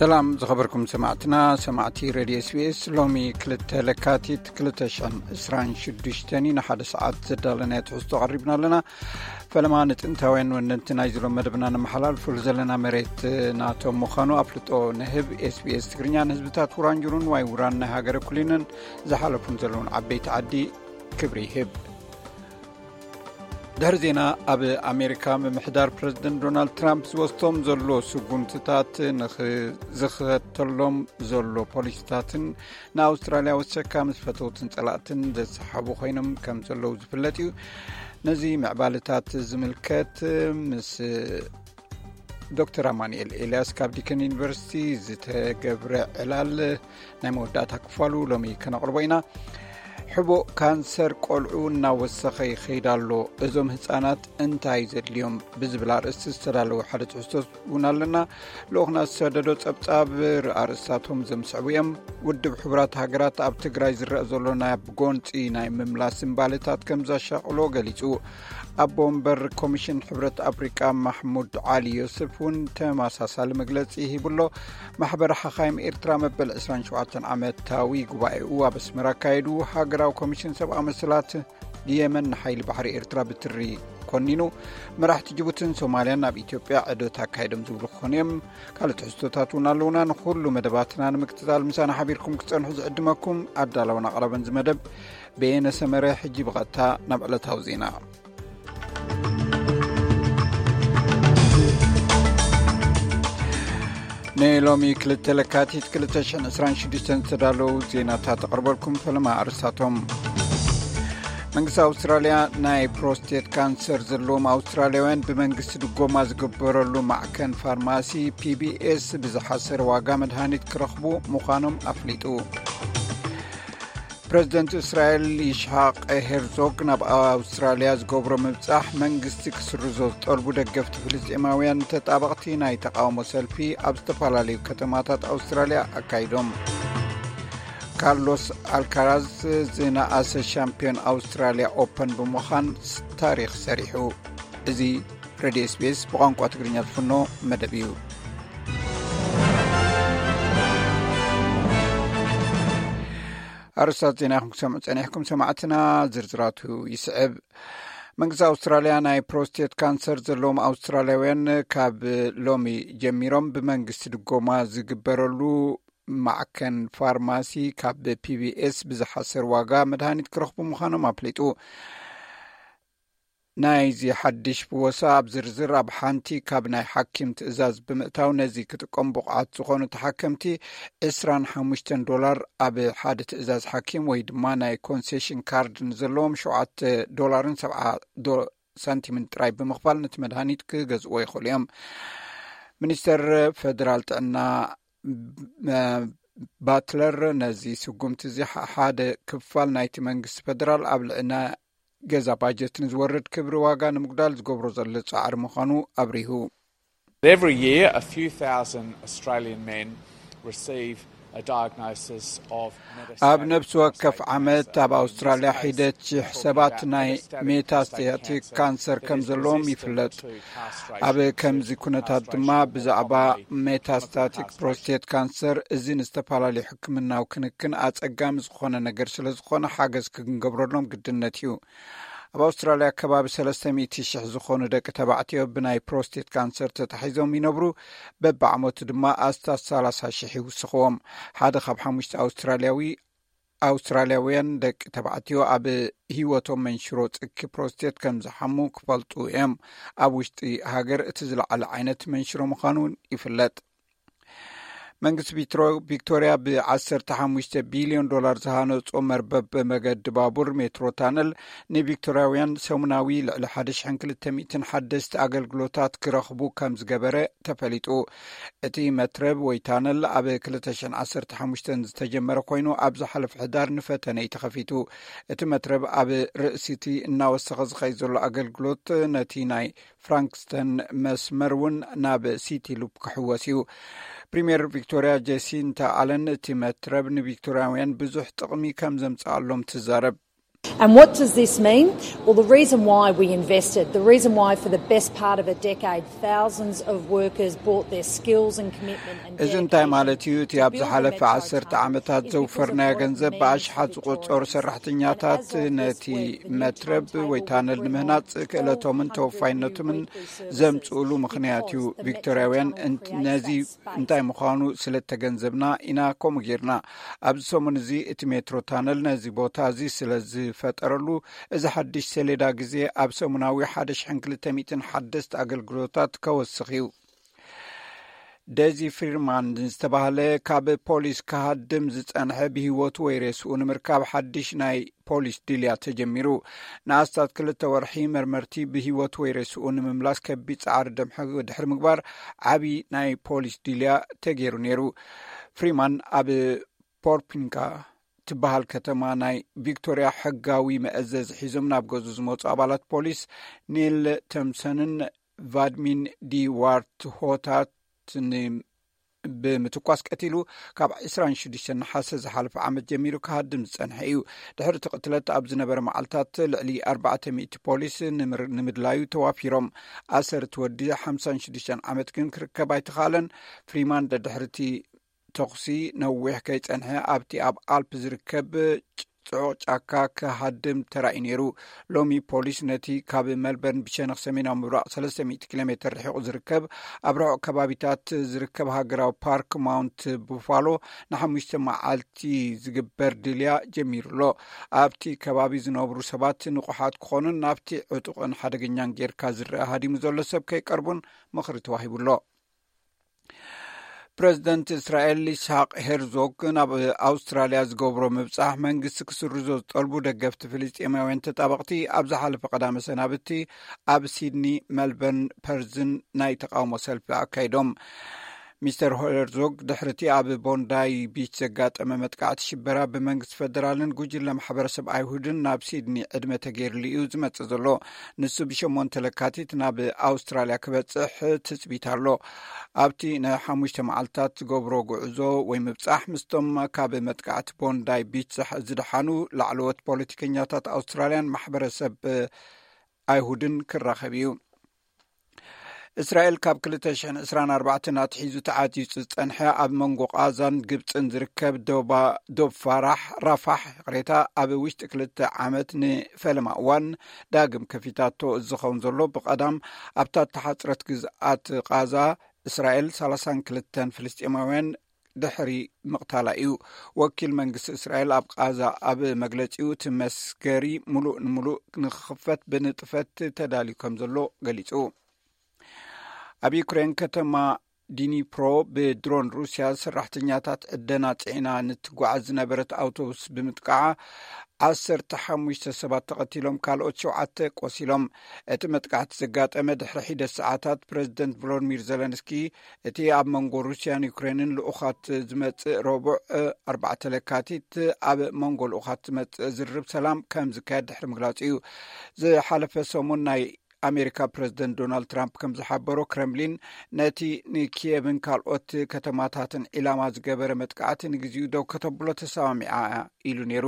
ሰላም ዝኸበርኩም ሰማዕትና፣ ሰማዕቲ ሬድዮ ኤስቢኤስ። ሎሚ ክልተ ለካቲት ክልተ ሽሕን ዕስራን ሽዱሽተን እዩ። ንሓደ ሰዓት ዘዳለናዮ ትሕዝቶ ቀሪብና ኣለና። ፈለማ ንጥንታውያን ወነንቲ ናይ ዝሎም መደብና ነመሓላልፉሉ ዘለና መሬት ናቶም ምዃኑ ኣፍልጦ ንህብ። ኤስቢኤስ ትግርኛ ንህዝብታት ውራንጁሩን ዋይ ውራን ናይ ሃገረ ኩሊንን ዝሓለፉን ዘለውን ዓበይቲ ዓዲ ክብሪ ይህብ። ድሕሪ ዜና፣ ኣብ ኣሜሪካ ምምሕዳር ፕረዚደንት ዶናልድ ትራምፕ ዝወስዶም ዘሎ ስጉምትታት ንኽዝኸተሎም ዘሎ ፖሊሲታትን ንኣውስትራልያ ወሰካ ምስ ፈተውትን ጸላእትን ዘሰሓቡ ኮይኖም ከም ዘለዉ ዝፍለጥ እዩ። ነዚ ምዕባለታት ዝምልከት ምስ ዶክተር ኣማኑኤል ኤልያስ ካብ ዲከን ዩኒቨርሲቲ ዝተገብረ ዕላል ናይ መወዳእታ ክፋሉ ሎሚ ከነቕርቦ ኢና። ሕቡእ ካንሰር ቆልዑ እናወሰኸ ይኸይድ ኣሎ፣ እዞም ህፃናት እንታይ ዘድልዮም ብዝብል ኣርእስቲ ዝተዳለወ ሓደ ትሕዝቶ እውን ኣለና። ልኡኽና ዝሰደዶ ጸብጻብ ኣርእስታቶም ዘምስዕቡ እዮም። ውድብ ሕቡራት ሃገራት ኣብ ትግራይ ዝረአ ዘሎ ናይ ጎንፂ ናይ ምምላስ እምባለታት ከም ዘሻቕሎ ገሊጹ። ኣቦ ወንበር ኮሚሽን ሕብረት ኣፍሪቃ ማሕሙድ ዓሊ ዮስፍ እውን ተመሳሳሊ መግለጺ ሂቡሎ። ማሕበር ሓኻይም ኤርትራ መበል ዕስራን ሸውዓተን ዓመታዊ ጉባኤኡ ኣብ ኣስመራ ኣካየዱ። ሃገራዊ ኮሚሽን ሰብኣዊ መሰላት የመን ንሓይሊ ባሕሪ ኤርትራ ብትሪ ኮኒኑ። መራሕቲ ጅቡትን ሶማልያን ኣብ ኢትዮጵያ ዕዶት ኣካይዶም ዝብሉ ክኾኑ እዮም። ካልእ ትሕዝቶታት እውን ኣለውና። ንኹሉ መደባትና ንምክትታል ምሳና ሓቢርኩም ክትጸንሑ ዝዕድመኩም ኣዳለውን ኣቕራብን ዝመደብ በየነ ሰመረ። ሕጂ ብቐጥታ ናብ ዕለታዊ ዜና። ንሎሚ ክልተ ለካቲት ክልተ ሽሕን ዕስራን ሽዱሽተን ዝተዳለዉ ዜናታት ኣቕርበልኩም። ፈለማ ኣርስታቶም። መንግስቲ ኣውስትራልያ ናይ ፕሮስቴት ካንሰር ዘለዎም ኣውስትራልያውያን ብመንግስቲ ድጎማ ዝግበረሉ ማዕከን ፋርማሲ ፒቢኤስ ብዝሓሰረ ዋጋ መድሃኒት ክረኽቡ ምዃኖም ኣፍሊጡ። ፕረዚደንት እስራኤል ይስሓቅ ሄርዞግ ናብ ኣውስትራልያ ዝገብሮ ምብጻሕ መንግስቲ ክስርዞ ዝጠልቡ ደገፍቲ ፍልስጤማውያን ተጣበቕቲ ናይ ተቃውሞ ሰልፊ ኣብ ዝተፈላለዩ ከተማታት ኣውስትራልያ ኣካይዶም። ካርሎስ ኣልካራዝ ዝነኣሰ ሻምፒዮን ኣውስትራልያ ኦፐን ብምዃን ታሪኽ ሰሪሑ። እዚ ሬድዮ ኤስቢኤስ ብቋንቋ ትግርኛ ዝፍኖ መደብ እዩ። ኣርስታት ዜና ኢኹም ክሰምዑ ጸኒሕኩም ሰማዕትና፣ ዝርዝራቱ ይስዕብ። መንግስቲ ኣውስትራልያ ናይ ፕሮስቴት ካንሰር ዘለዎም ኣውስትራልያውያን ካብ ሎሚ ጀሚሮም ብመንግስቲ ድጎማ ዝግበረሉ ማዕከን ፋርማሲ ካብ ፒቢኤስ ብዝሓሰር ዋጋ መድሃኒት ክረኽቡ ምዃኖም ኣፍሊጡ። ናይዚ ሓድሽ ፍወሳ ኣብ ዝርዝር ኣብ ሓንቲ ካብ ናይ ሓኪም ትእዛዝ ብምእታው ነዚ ክጥቀሙ ብቑዓት ዝኾኑ ተሓከምቲ ዕስራን ሓሙሽተን ዶላር ኣብ ሓደ ትእዛዝ ሓኪም ወይ ድማ ናይ ኮንሴሽን ካርድ ንዘለዎም ሸውዓተ ዶላርን ሰብዓ ዶ-፣ ሳንቲምን ጥራይ ብምኽፋል ነቲ መድሃኒት ክገዝእዎ ይኽእሉ እዮም። ሚኒስተር ፈደራል ጥዕና መ-፣ ባትለር ነዚ ስጉምቲ እዚ ሓ-፣ ሓደ ክፋል ናይቲ መንግስቲ ፈደራል ኣብ ልዕና ገዛ ባጀት ንዝወርድ ክብሪ ዋጋ ንምጉዳል ዝገብሮ ዘሎ ጻዕሪ ምዃኑ ኣብሪሁ። Every year, a few thousand Australian men receive a diagnosis of ኣብ metastatic ነፍሲ ወከፍ prostate ዓመት cancer ኣብ ኣውስትራልያ። This takes ሒደት ሽሕ ሰባት ናይ ሜታስታቲክ ካንሰር ከም ዘለዎም ይፍለጥ። ኣብ ከምዚ ኩነታት ድማ ብዛዕባ ሜታስታቲክ ፕሮስቴት ካንሰር እዚ ንዝተፈላለዩ ሕክምናዊ ክንክን ኣጸጋሚ ዝኾነ ነገር ስለ ዝኾነ ሓገዝ ክንገብረሎም ግድነት እዩ። ኣብ ኣውስትራልያ ከባቢ ሰለስተ ሚእቲ ሽሕ ዝኾኑ ደቂ ተባዕትዮ ብናይ ፕሮስቴት ካንሰር ተታሒዞም ይነብሩ። በብዓመቱ ድማ ኣስታት ሰላሳ ሽሕ ይውስኽዎም። ሓደ ካብ ሓሙሽተ ኣውስትራልያዊ ኣውስትራልያውያን ደቂ ተባዕትዮ ኣብ ህይወቶም መንሽሮ ጽኪ ፕሮስቴት ከም ዝሓሙ ክፈልጡ እዮም። ኣብ ውሽጢ ሃገር እቲ ዝለዓለ ዓይነት መንሽሮ ምዃኑ እውን ይፍለጥ። መንግስቲ ቪትሮ-፣ ቪክቶሪያ ብ ዓሰርተ ሓሙሽተ ቢልዮን ዶላር ዝሃነጾ መርበብ መገዲ ባቡር ሜትሮ ታነል ንቪክቶሪያውያን ሰሙናዊ ልዕሊ ሓደ ሽሕን ክልተ ሚእትን ሓደስቲ ኣገልግሎታት ክረኽቡ ከም ዝገበረ ተፈሊጡ። እቲ መትረብ ወይ ታነል ኣብ ክልተ ሽሕን ዓሰርተ ሓሙሽተን ዝተጀመረ ኮይኑ፣ ኣብ ዝሓለፈ ሕዳር ንፈተነ እዩ ተኸፊቱ። እቲ መትረብ ኣብ ርእሲቲ እናወሰኸ ዝኸይድ ዘሎ ኣገልግሎት ነቲ ናይ ፍራንክስተን መስመር እውን ናብ ሲቲ ሉፕ ክሕወስ እዩ። ፕሪምየር ቪክቶሪያ ጄሲንታ ኣለን እቲ መትረብ ንቪክቶሪያውያን ብዙሕ ጥቕሚ ከም ዘምጽኣሎም ትዛረብ። And what does this mean? Well, the reason why we invested, the reason why for the best part of a decade, thousands of workers brought their skills and commitment and እዚ እንታይ ማለት እዩ? እቲ ኣብ ዝሓለፈ ዓሰርተ ዓመታት ዘውፈርናዮ ገንዘብ ብኣሽሓት ዝቆጸሩ ሰራሕተኛታት ነቲ መትረብ ወይ ታነል ንምህናጽ ክእለቶምን ተወፋይነቶምን ዘምጽእሉ ምኽንያት እዩ። ቪክቶርያውያን ነዚ እንታይ ምዃኑ ስለ ተገንዘብና ኢና ከምኡ ጌርና። ኣብዚ ሰሙን እዚ እቲ ሜትሮ ታነል ነዚ ቦታ እዚ ስለ ዝፈጠረሉ፣ እዚ ሓድሽ ሰሌዳ ግዜ ኣብ ሰሙናዊ ሓደ ሽሕን ክልተ ሚእትን ሓደስቲ ኣገልግሎታት ከወስኽ እዩ። ደዚ ፍሪማን ዝተባህለ ካብ ፖሊስ ክሃድም ዝጸንሐ፣ ብህይወቱ ወይ ሬስኡ ንምርካብ ሓድሽ ናይ ፖሊስ ድልያ ተጀሚሩ። ንኣስታት ክልተ ወርሒ መርመርቲ ብህይወቱ ወይ ሬስኡ ንምምላስ ከቢድ ጻዕሪ ደምሐ ድሕሪ ምግባር፣ ዓቢ ናይ ፖሊስ ድልያ ተገይሩ ነይሩ። ፍሪማን ኣብ ፖርፒንካ ትበሃል ከተማ ናይ ቪክቶርያ ሕጋዊ መእዘዚ ሒዞም ናብ ገዙ ዝመፁ ኣባላት ፖሊስ ኒል ተምሰንን ቫድሚን ዲ ዋርት ሆታት ብምትኳስ ቀቲሉ፣ ካብ ዕስራን ሽዱሽተን ነሓሰ ዝሓለፈ ዓመት ጀሚሩ ክሃድም ዝጸንሐ እዩ። ድሕሪ እቲ ቅትለት ኣብ ዝነበረ መዓልታት ልዕሊ ኣርባዕተ ሚእቲ ፖሊስ ንምድላዩ ተዋፊሮም። ኣሰር እቲ ወዲ ሓምሳን ሽዱሽተን ዓመት ግን ክርከብ ኣይተኻለን። ፍሪማን ደድሕሪ እቲ ተኹሲ ነዊሕ ከይጸንሐ ኣብቲ ኣብ ኣልፕ ዝርከብ ጽዑቕ ጫካ ክሃድም ተራእዩ ነይሩ። ሎሚ ፖሊስ ነቲ ካብ መልበርን ብሸነኽ ሰሜናዊ ምብራቕ ሰለስተ ሚእቲ ኪሎ ሜትር ርሒቑ ዝርከብ፣ ኣብ ርሑቕ ከባቢታት ዝርከብ ሃገራዊ ፓርክ ማውንት ቡፋሎ ንሓሙሽተ መዓልቲ ዝግበር ድልያ ጀሚሩ ኣሎ። ኣብቲ ከባቢ ዝነብሩ ሰባት ንቑሓት ክኾኑን ናብቲ ዕጡቕን ሓደገኛን ጌርካ ዝረአ ሃዲሙ ዘሎ ሰብ ከይቀርቡን ምኽሪ ተዋሂቡ ኣሎ። ፕረዚደንት እስራኤል ይስሐቅ ሄርዞግ ናብ ኣውስትራልያ ዝገብሮ ምብጻሕ መንግስቲ ክስርዞ ዝጠልቡ ደገፍቲ ፍልስጤማውያን ተጣበቕቲ ኣብ ዝሓለፈ ቀዳመ ሰናብቲ ኣብ ሲድኒ፣ መልበርን ፐርዝን ናይ ተቃውሞ ሰልፊ ኣካይዶም። ሚስተር ሄርዞግ ድሕርቲ ኣብ ቦንዳይ ቢች ዘጋጠመ መጥቃዕቲ ሽበራ ብመንግስቲ ፈደራልን ጉጅለ ማሕበረሰብ ኣይሁድን ናብ ሲድኒ ዕድመ ተገይርሉ እዩ ዝመጽእ ዘሎ። ንሱ ብሸሞንተ ለካቲት ናብ ኣውስትራልያ ክበጽሕ ትጽቢት ኣሎ። ኣብቲ ንሓሙሽተ መዓልታት ዝገብሮ ጉዕዞ ወይ ምብጻሕ ምስቶም ካብ መጥቃዕቲ ቦንዳይ ቢች ዝደሓኑ ላዕለዎት ፖለቲከኛታት ኣውስትራልያን ማሕበረሰብ ኣይሁድን ክራኸብ እዩ። እስራኤል ካብ ክልተ ሽሕን ዕስራን ኣርባዕተን ኣትሒዙ ተዓዚጹ ዝጸንሐ ኣብ መንጎ ቃዛን ግብጽን ዝርከብ ዶባ ዶብ ፋራሕ ራፋሕ ይቕሬታ ኣብ ውሽጢ ክልተ ዓመት ንፈለማ እዋን ዳግም ከፊታቶ ዝኸውን ዘሎ ብቐዳም ኣብታ እተሓጽረት ግዝኣት ቃዛ እስራኤል ሰላሳን ክልተን ፍልስጤማውያን ድሕሪ ምቕታላ እዩ። ወኪል መንግስቲ እስራኤል ኣብ ቃዛ ኣብ መግለጺኡ እቲ መስገሪ ሙሉእ ንሙሉእ ንክኽፈት ብንጥፈት ተዳልዩ ከም ዘሎ ገሊጹ። ኣብ ዩክሬን ከተማ ዲኒፕሮ ብድሮን ሩስያ ሰራሕተኛታት ዕደና ጽዒና ንትጓዓዝ ዝነበረት ኣውቶቡስ ብምጥቃዓ ዓሰርተ ሓሙሽተ ሰባት ተቐቲሎም ካልኦት ሸውዓተ ቆሲሎም። እቲ መጥቃዕቲ ዘጋጠመ ድሕሪ ሒደት ሰዓታት ፕረዚደንት ቮሎድሚር ዘለንስኪ እቲ ኣብ መንጎ ሩስያን ዩክሬንን ልኡኻት ዝመጽእ ረቡዕ ኣርባዕተ ለካቲት ኣብ መንጎ ልኡኻት ዝመጽእ ዝርርብ ሰላም ከም ዝካየድ ድሕሪ ምግላጹ እዩ። ዝሓለፈ ሰሙን ናይ ኣሜሪካ ፕረዚደንት ዶናልድ ትራምፕ ከም ዝሓበሮ ክረምሊን ነቲ ንኪየቭን ካልኦት ከተማታትን ዒላማ ዝገበረ መጥቃዕቲ ንግዜኡ ደው ከተብሎ ተሰማሚዓ ኢሉ ነይሩ።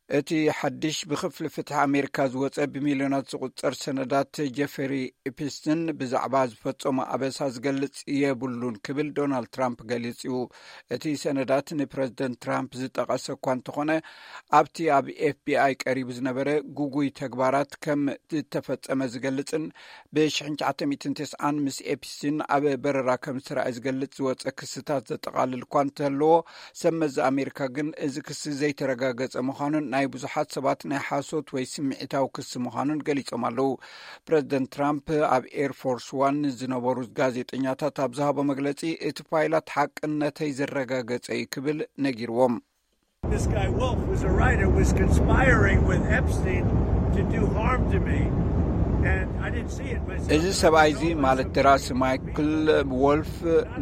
እቲ ሓድሽ ብክፍሊ ፍትሒ ኣሜሪካ ዝወጸ ብሚልዮናት ዝቁጸር ሰነዳት ጀፈሪ ኤፕስቲን ብዛዕባ ዝፈጸሞ ኣበሳ ዝገልጽ የብሉን ክብል ዶናልድ ትራምፕ ገሊጹ። እቲ ሰነዳት ንፕረዚደንት ትራምፕ ዝጠቐሰ እኳ እንተኾነ ኣብቲ ኣብ ኤፍቢኣይ ቀሪቡ ዝነበረ ጉጉይ ተግባራት ከም ዝተፈጸመ ዝገልጽን ብሽሕን ትሽዓተ ሚእትን ተስዓን ምስ ኤፕስቲን ኣብ በረራ ከም ዝተራእየ ዝገልጽ ዝወጸ ክስታት ዘጠቓልል እኳ እንተለዎ ሰብ መዚ ኣሜሪካ ግን እዚ ክሲ ዘይተረጋገጸ ምዃኑን ናይ ብዙሓት ሰባት ናይ ሓሶት ወይ ስምዒታዊ ክሲ ምዃኑን ገሊጾም ኣለዉ። ፕረዚደንት ትራምፕ ኣብ ኤርፎርስ ዋን ዝነበሩ ጋዜጠኛታት ኣብ ዝሃቦ መግለጺ እቲ ፓይላት ሓቅነተይ ዘረጋገጸ እዩ ክብል ነጊርዎም። This guy Wolf was a writer, was conspiring with Epstein to do harm to me, and I didn't see it myself. እዚ ሰብኣይ እዚ ማለት ደራሲ ማይክል ወልፍ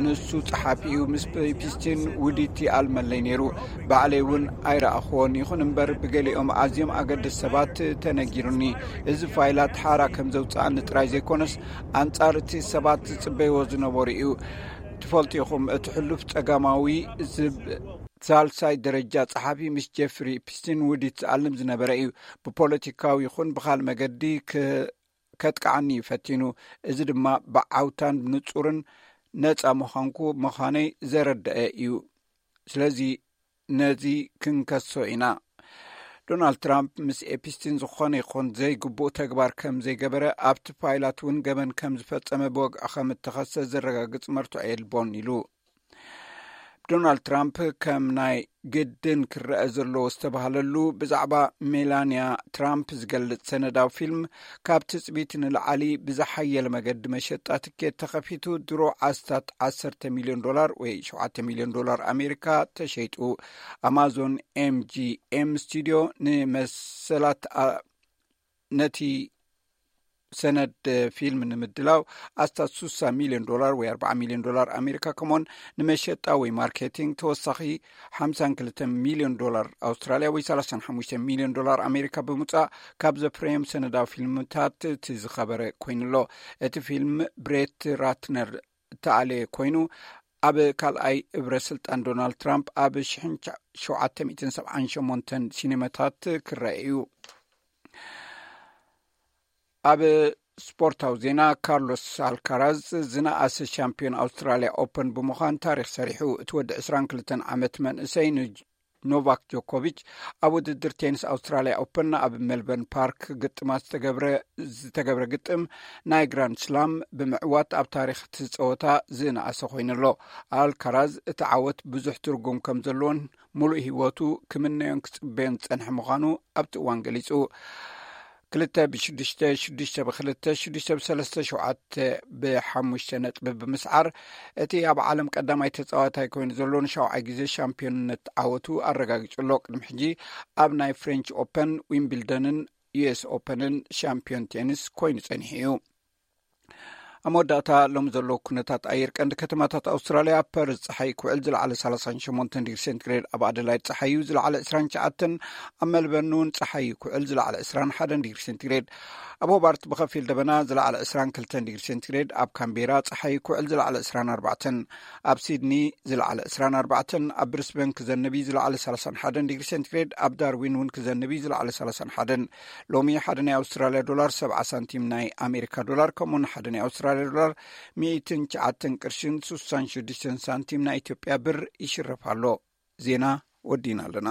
ንሱ ጸሓፊ እዩ። ምስ ኤፕስቲን ውዲቲ ኣለመለይ ነይሩ። ባዕለይ እውን ኣይረኣኽዎን። ይኹን እምበር ብገሊኦም ኣዝዮም ኣገደስቲ ሰባት ተነጊሩኒ። እዚ ፋይላት ሓራ ከም ዘውጽኣኒ ጥራይ ዘይኮነስ ኣንጻር እቲ ሰባት ዝጽበይዎ ዝነበሩ እዩ። ትፈልጡ ኢኹም እቲ ሕሉፍ ጸጋማዊ ዝብ ሳልሳይ ደረጃ ጸሓፊ ምስ ጀፍሪ ኢፕስቲን ውዲት ዝኣልም ዝነበረ እዩ። ብፖለቲካዊ ይኹን ብኻል መገዲ ከጥቃዓኒ እዩ ፈቲኑ። እዚ ድማ ብዓውታን ብንጹርን ነጻ ምዃንኩ ምዃነይ ዘረደአ እዩ። ስለዚ ነዚ ክንከሶ ኢና። ዶናልድ ትራምፕ ምስ ኤፕስቲን ዝኾነ ይኹን ዘይግቡእ ተግባር ከም ዘይገበረ፣ ኣብቲ ፋይላት እውን ገበን ከም ዝፈጸመ ብወግዒ ከም እተኸሰ ዘረጋግጽ መርትዖ የልቦን ኢሉ። ዶናልድ ትራምፕ ከም ናይ ግድን ክረአ ዘለዎ ዝተባህለሉ ብዛዕባ ሜላንያ ትራምፕ ዝገልጽ ሰነዳዊ ፊልም፣ ካብ ትጽቢት ንላዕሊ ብዝሓየለ መገዲ መሸጣ ትኬት ተኸፊቱ፣ ድሮ ዓስታት ዓሰርተ ሚልዮን ዶላር ወይ ሸውዓተ ሚልዮን ዶላር ኣሜሪካ ተሸይጡ። ኣማዞን ኤምጂኤም ስቱዲዮ ንመሰላት ነቲ ሰነድ ፊልም ንምድላው ኣስታት ሱሳ ሚልዮን ዶላር ወይ ኣርባዓ ሚልዮን ዶላር ኣሜሪካ፣ ከምኡን ንመሸጣ ወይ ማርኬቲንግ ተወሳኺ ሓምሳን ክልተ ሚልዮን ዶላር ኣውስትራልያ ወይ ሰላሳን ሓሙሽተ ሚልዮን ዶላር ኣሜሪካ ብምውፃእ፣ ካብ ዘፍረዮም ሰነዳዊ ፊልምታት እቲ ዝኸበረ ኮይኑሎ። እቲ ፊልም ብሬት ራትነር እተኣለየ ኮይኑ፣ ኣብ ካልኣይ እብረ ስልጣን ዶናልድ ትራምፕ ኣብ ሽሕን ሸውዓተ ሚእትን ሰብዓን ሸሞንተን ሲኔማታት ክረአ እዩ። ኣብ ስፖርታዊ ዜና፣ ካርሎስ ኣልካራዝ ዝነኣሰ ሻምፒዮን ኣውስትራልያ ኦፐን ብምዃን ታሪኽ ሰሪሑ። እቲ ወዲ ዕስራን ክልተን ዓመት መንእሰይ ንኖቫክ ጆኮቪች ኣብ ውድድር ቴኒስ ኣውስትራልያ ኦፐን ኣብ ሜልበርን ፓርክ ግጥማት ዝተገብረ ግጥም ናይ ግራንድ ስላም ብምዕዋት ኣብ ታሪኽ እቲ ጸወታ ዝነኣሰ ኮይኑሎ። ኣልካራዝ እቲ ዓወት ብዙሕ ትርጉም ከም ዘለዎን ሙሉእ ህይወቱ ክምነዮን ክጽበዮን ዝጸንሐ ምዃኑ ኣብቲ እዋን ገሊጹ። ክልተ ብሽዱሽተ፣ ሽዱሽተ ብክልተ፣ ሽዱሽተ ብሰለስተ፣ ሸውዓተ ብሓሙሽተ ነጥቢ ብምስዓር፣ እቲ ኣብ ዓለም ቀዳማይ ተጻዋታይ ኮይኑ ዘሎ ንሻውዓይ ግዜ ሻምፒዮንነት ዓወቱ ኣረጋጊጹ ኣሎ። ቅድሚ ሕጂ ኣብ ናይ ፍሬንች ኦፐን፣ ዊምብልደንን ዩኤስ ኦፐንን ሻምፒዮን ቴኒስ ኮይኑ ጸኒሑ እዩ። ኣብ መወዳእታ፣ ሎም ዘሎ ኩነታት ኣየር ቀንዲ ከተማታት ኣውስትራልያ፣ ኣብ ፐርዝ ጸሓይ ክውዕል ዝለዓለ ሰላሳን ሸሞንተን ዲግሪ ሴንቲግሬድ፣ ኣብ ኣደላይድ ጸሓዩ ዝለዓለ ዕስራን ትሽዓተን፣ ኣብ ሜልበርን እውን ጸሓዩ ክውዕል ዝለዓለ ዕስራን ሓደን ዲግሪ ሴንቲግሬድ፣ ኣብ ሆባርት ብኸፊል ደበና ዝለዓለ ዕስራን ክልተን ዲግሪ ሴንቲግሬድ፣ ኣብ ካምቤራ ጸሓዩ ክውዕል ዝለዓለ ዕስራን ኣርባዕተን፣ ኣብ ሲድኒ ዝለዓለ ዕስራን ኣርባዕተን፣ ኣብ ብሪስበን ክዘንብ እዩ ዝለዓለ ሰላሳን ሓደን ዲግሪ ሴንቲግሬድ፣ ኣብ ዳርዊን እውን ክዘንብ እዩ ዝለዓለ ሰላሳን ሓደን። ሎሚ ሓደ ናይ ኣውስትራልያ ዶላር ሰብዓ ሳንቲም ናይ ኣሜሪካ ዶላር፣ ከምኡውን ሓደ ናይ ኣውስትራልያ ዶላር ሚእትን ትሽዓተን ቅርሽን ሱሳን ሽዱሽተን ሳንቲም ናይ ኢትዮጵያ ብር ይሽረፍ ኣሎ። ዜና ወዲና ኣለና።